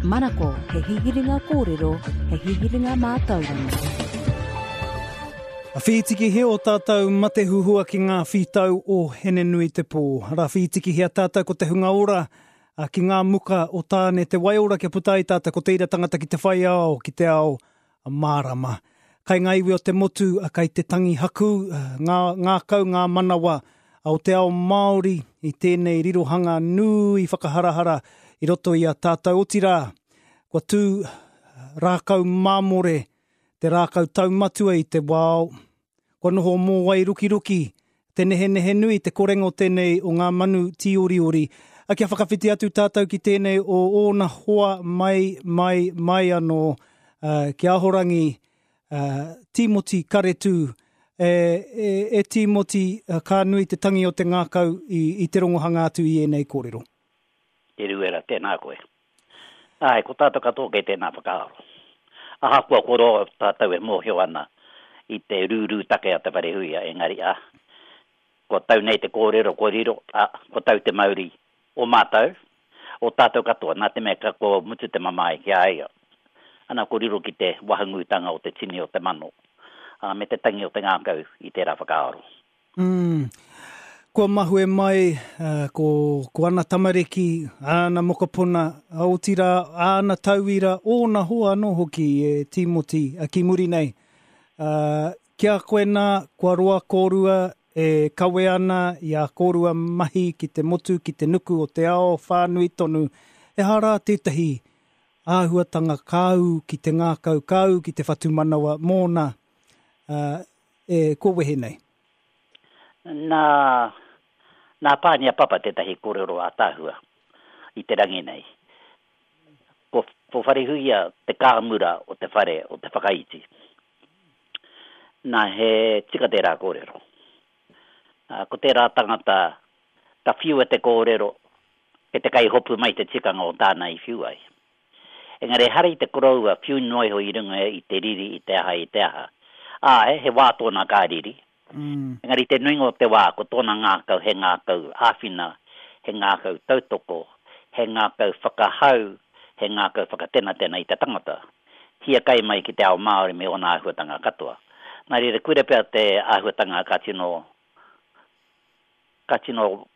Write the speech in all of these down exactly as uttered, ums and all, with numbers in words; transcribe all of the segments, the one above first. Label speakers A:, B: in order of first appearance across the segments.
A: Manako, he hihiringa kōrero, he hihiringa mātauranga.
B: A whitikihia o tātou matehuhua ki ngā whitau o Henenui te pō. Rā whitikihia tātou ko te hunga ora a, ki ngā muka o tāne te waiora kia puta ai tātou ko te ira tangata ki te whai ao, ki te ao a mārama. Kai ngā iwi o te motu, a kai te tangi haku, ngā, ngā kau, ngā manawa a o te ao Māori i tēnei rirohanga nui whakaharahara i roto i a tātou otirā. Kua tū rākau māmore, te rākau taumatua i te wao, kua noho mōwai rukiruki, te nehenehe nui, te korengo tēnei o ngā manu tīoriori. A kia whakawhiti atu tātou ki tēnei o ōna hoa mai, mai, mai anō, uh, ki Ahorangi, uh, Tīmoti Karetū, e, e, e Tīmoti, uh, ka nui te tangi o te ngākau i, i te rongohanga atu i ēnei kōrero.
C: Te Ruera, tēnā koe. Ai, ko tātou katoa kei tēnā whakaaro. Ahakoa ko roa tātou e mōhio ana i te rūrū take a Te Wharehuia, engari a, ko tau nei te kōrero, ko riro, a, ko tau te mauri o mātou, o tātou katoa, nā te mea ka ko mutu te mamae ki a ia. Ana ko riro ki te wahangūtanga o te tini o te mano, a, me te tangi o te ngākau i tērā whakaaro.
B: Mm. Kua mahue mai uh, ko, ko ana tamariki, ana mokopuna, otirā, ana tauira, ōna hoa anō hoki e Tīmoti uh, ki muri nei. Uh, kia koe nā, kua roa kōrua e kawe ana i a kōrua mahi ki te motu, ki te nuku o te ao whānui tonu. E hara tētahi āhuatanga kāu ki te ngākau, kāu ki te whatumanawa mōna uh, e ko wehe nei.
C: Nā, nā Pānia Papa tētahi kōrero ātaahua i te rangi nei. Ko, ko Wharehuia te kāmura o te whare o te whakaiti. Nā he tika tērā kōrero. Uh, ko tērā tangata ka whiua te kōrero e te kaihopu mai te tikanga o tāna i whiu ai. Engari hara i te koroua whiu noa iho i runga i te riri, i te aha, i te aha. Āe, he wā tōna kā riri.
B: Mm.
C: Engari te nuinga o te wā, ko tōna ngākau, he ngākau āwhina, he ngākau tautoko, he ngākau whakahau, he ngākau whakatenatena i te tangata. Hiakai mai ki te ao Māori me ōna āhuatanga katoa. Nā reira, koira pea te āhuatanga ka tino, ka tino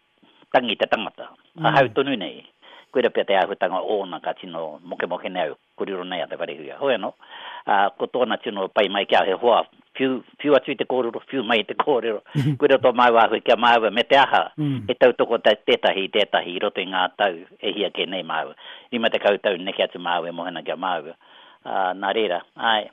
C: tangi te tangata.
B: Mm.
C: Ahau tonu nei, koira pea te āhuatanga ōna ka tino mokemoke nei au, kōrero nei a Te Wharehuia. Hoi anō, uh, ko tōna tino pai mai ki a he hoa, whiu, whiu atu i te kōrero, whiu mai i te kōrero. Koira tō māua āhua ki a māua, me te aha,
B: Mm.
C: e tautoko te, tētahi, tētahi i roto i ngā tau e hia kē nei māua. Rima tekau tau neke atu māua e mohena ki a māua. Uh, nā reira, ai,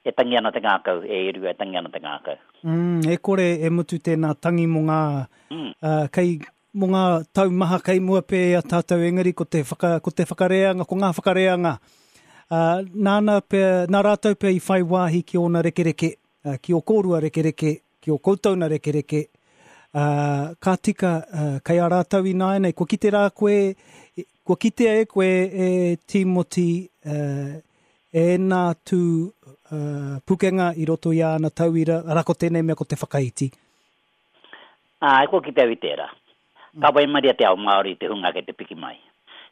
C: e tangi ana te ngākau, e Erua, e tangi ana te ngākau.
B: Mm, e kore e mutu tēnā tangi mō ngā,
C: Mm.
B: uh, kei, mō ngā tau maha kei mua pē a tātou, engari ko te, whaka, ko te whakareanga, ko ngā whakareanga. Uh, nāna pea, nā rātou pea i whai wāhi ki ōna rekereke, uh, ki o kōrua rekereke, ki o koutou na rekereke, uh, ka tika uh, kei a rātou i nāianei. Kua kite rā koe, kua kitea e koe e Tīmoti uh, e nā tū uh, pukenga i roto i āna tauira, ara ko tēnei mea ko te whakaiti.
C: Ā, kua kite au i tērā. Ka waimaria te ao Māori te hunga kei te piki mai.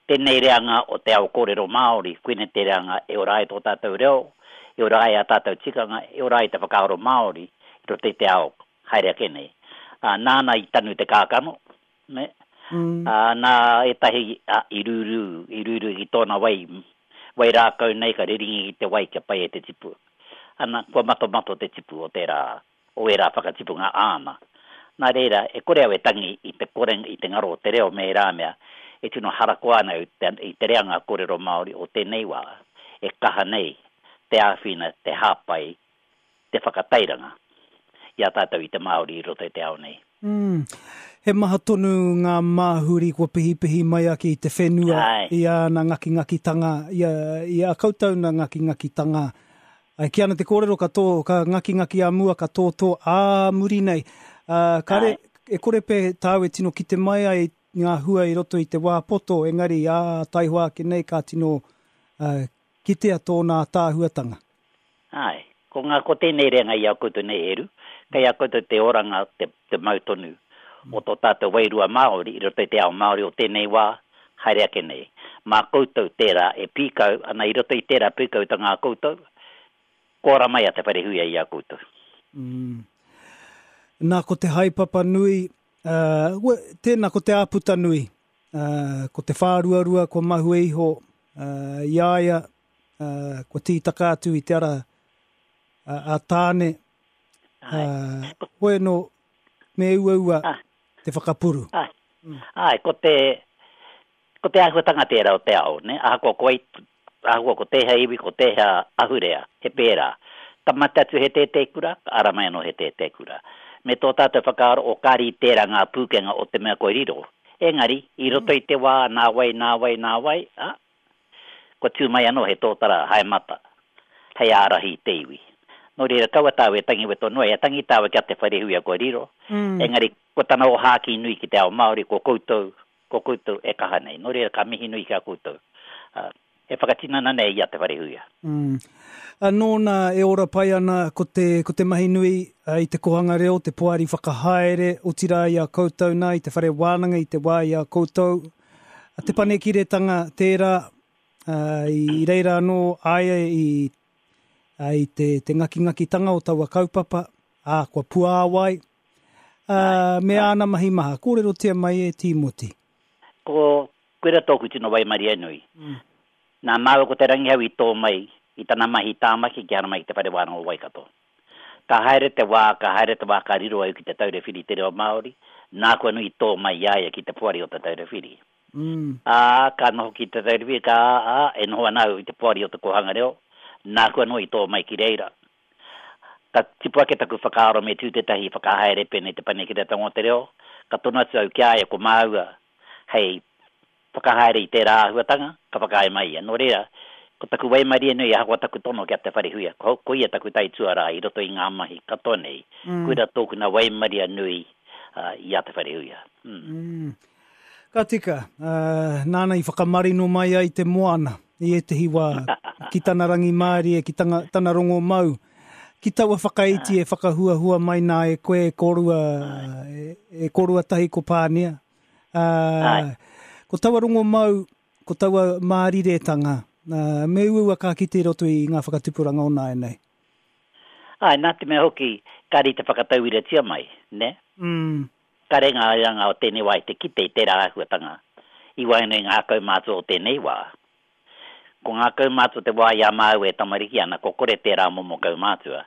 C: Tēnei reanga o te ao kōrero Māori, koinei te reanga e ora ai tō tātou reo, e ora ai a tātou tikanga, e ora ai te whakaaro Māori i roto i te ao haere ake nei. Ā, nāna i tanu te kākano, ne?
B: Mm.
C: Ā, nā ētahi a, i rūrū, i rūrū ki tōna wai, wai rākau nei ka riringi ki te wai kia pai e te tipu. Ana, kua matomato te tipu o tērā, o ērā whakatipunga āna. Nā reira, e kore au e tangi i te korenga, i te ngaro o te reo me ērā mea, e tino harakoa ana i te, i te reanga kōrero Māori o tēnei wā, e kaha nei te āwhina, te hāpai, te whakatairanga i a tātou i te Māori i roto i te ao nei.
B: Mm. He maha tonu ngā māhuri kua pihipihi mai ake i te whenua,
C: Ai.
B: i āna ngakingakitanga, i a, i a koutou na ngakingakitanga. Ai, ki ana te kōrero ka tō, ka ngakingaki a mua, ka tōtō ā muri nei. Uh, kare,
C: Ai.
B: e kore pe tāu e tino kite mai ai ngā hua i roto i te wā poto, engari ā taihoa ake nei ka tino uh, kitea tōna ātaahuatanga.
C: Ai, ko ngā ko tēnei reanga i a koutou nei Eru, kei a koutou te oranga, te, te mau tonu o tō tātou wairua Māori i roto i te ao Māori o tēnei wā, haere ake nei. Mā koutou tērā e pīkau, ana i roto i tērā pīkautanga a koutou, kua ora mai a Te Wharehuia i a koutou.
B: Mm. Nā, ko te haepapa nui, uh, tēnā ko te āputa nui, uh, ko te whāruarua kua mahue iho uh, i a ia, uh, kua tītaka atu i te ara uh, a Tāne, uh, hoi no, me uaua ah. te whakapuru.
C: Ai, mm. Ai, ko te, ko te āhuatanga tērā o te ao, ne? Ahakoa ko ai, ahakoa ko tēhea iwi, ko tēhea ahurea, he pērā. Ka mate atu he tētēkura, ka ara mai anō he tētēkura. Me tō tātou whakaaro o kāri tērā ngā pūkenga o te mea kua riro. Engari, i roto i te wā, nā wai, nā wai, nā wai, ā, kua tū mai anō he tōtara haemata hei ārahi i te iwi. Nō reira, kaua tāua e tangi weto noa, e tangi tāua ki a Te Wharehuia kua riro, engari ko tana ōhākī nui ki te ao Māori, ko koutou, ko koutou e kaha nei. Nō reira, ka mihi nui ki a koutou, ā, e whakatinana nei i a Te Wharehuia.
B: Mm. A nōna e ora pai ana ko te, ko te mahi nui i te kohanga reo, te poari whakahaere, otirā i a koutou nā, i te whare wānanga, i te wā i a koutou. A te panekiretanga tērā, ā, i reira anō a ia i, ā, i te, te ngakingakitanga o taua kaupapa, ā, kua puāwai, ā, me āna mahi maha. Kōrerotia mai e Tīmoti.
C: Ko, koira tōku tino waimarie nui.
B: Mm.
C: Nā māua ko Te Rangihau i tō mai i tana mahi i Tāmaki ki haramai ki Te Whare Wānanga o Waikato. Ka haere te wā, ka haere te wā ka riro au ki Te Taura Whiri i te Reo Māori, nāku anō i tō mai i a ia ki te poari o Te Taura Whiri.
B: Mm.
C: Ā, ka noho ki Te Taura Whiri, ka, ā, e noho ana au i te poari o Te Kōhanga Reo, nāku anō i tō mai ki reira. Ka tipu ake taku whakaaro me tū tētahi whakahaere pēnei Te Panekiretanga o te Reo, ka tono atu au ki a ia ko māua hei whakahaere i tērā āhuatanga, ka whakaae mai ia. Nō reira, ko taku waimarie nui ahakoa taku tono ki a Te Wharehuia, ko, ko ia taku taituarā i roto i ngā mahi katoa nei,
B: Mm.
C: koira tōku nā waimaria nui uh, i a Te Wharehuia. Mm.
B: Mm. Ka tika, uh, nāna i whakamarino mai ai te moana i ētehi wā, ki tana rangimārie, ki tanga, tana rongo mau, ki taua whakaiti e whakahuahua mai nā e koe e kōrua, e, e kōrua tahi ko Pānia. Uh, ko taua rongo mau, ko taua māriretanga, uh, me uaua ka kite i roto i ngā whakatupuranga o nāianei.
C: Ai, nā te mea hoki, kāre i te whakatauiratia mai, ne?
B: Mm.
C: Kāre ngā reanga o tēnei wā i te kite i tērā āhuatanga, i waenganui i ngā kaumātua o tēnei wā. Ko ngā kaumātua te wā i a māua e tamariki ana, ko kore tērā momo kaumātua.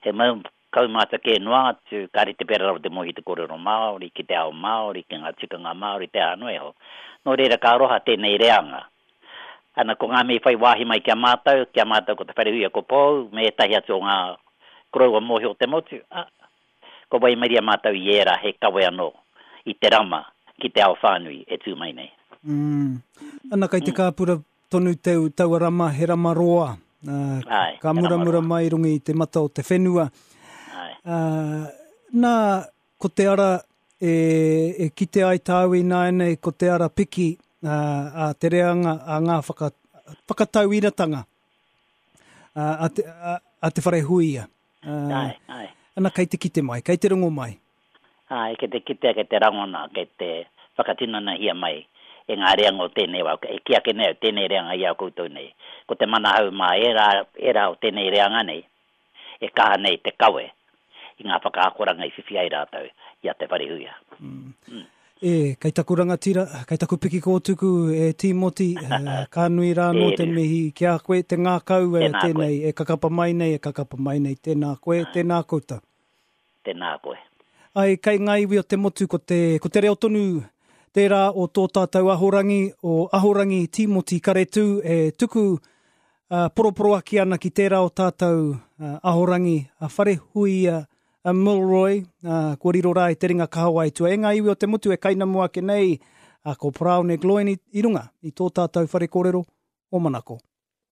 C: He mau kaumātua kē noa atu, kāre te pērā rawa te mohi te kōrero Māori, ki te ao Māori, ki ngā tikanga Māori, te aha noa iho. Nō reira, ka aroha tēnei reanga. Ana, ko ngā mea i whai wāhi mai ki a mātou, ki a mātou ko Te Wharehuia ko Pou, me ētahi atu o ngā koroua mōhio o te motu, ā, ko waimaria mātou i ērā he kawe anō i te rama ki te ao whānui e tū mai nei.
B: Mm. Ana, kei te kāpura tonu te taua rama, he rama roa. Uh,
C: Ai,
B: ka
C: he rama
B: muramura
C: roa.
B: mai i runga i te mata o te whenua.
C: Ai.
B: Uh, nā, ko te ara e, e kite ai tāu ināianei, ko te ara piki uh, a te reanga, a ngā whaka, whakatauiratanga uh, a, te, a, a Te Wharehuia. Uh,
C: Ai, ai.
B: Ana, kei te kite mai, kei te rongo mai.
C: Ai, kei te kitea, kei te rangona, kei te whakatinanahia mai e ngā reanga o tēnei wā. E kī ake nei au, tēnei reanga i a koutou nei. Ko te manahau mā ērā, ērā o tēnei reanga nei, e kaha nei te kawe i ngā whakaakoranga i whiwhi ai rātou i a Te Wharehuia.
B: Mm. Mm. E, kei taku rangatira, kei taku piki kōtuku e Tīmoti, ka nui rā nō te mihi ki a koe, te ngākau e
C: Tēnā koe.
B: tēnei, e kakapa mai nei, e kakapa mai nei, tēnā koe, tēnā koutou.
C: Tēnā koe.
B: Ai, kei ngā iwi o te motu, ko te, ko te reo tonu tērā o tō tātou ahorangi, o Ahorangi Tīmoti Karetū e tuku uh, poroporoaki ana ki tērā o tātou uh, ahorangi a Wharehuia a Milroy, uh, kua riro rā i te ringa kahawai tua. E ngā iwi o te motu e kainamu ake nei, uh, ko Paraone Gloyne i, i runga i tō tātou whare kōrero o Manako.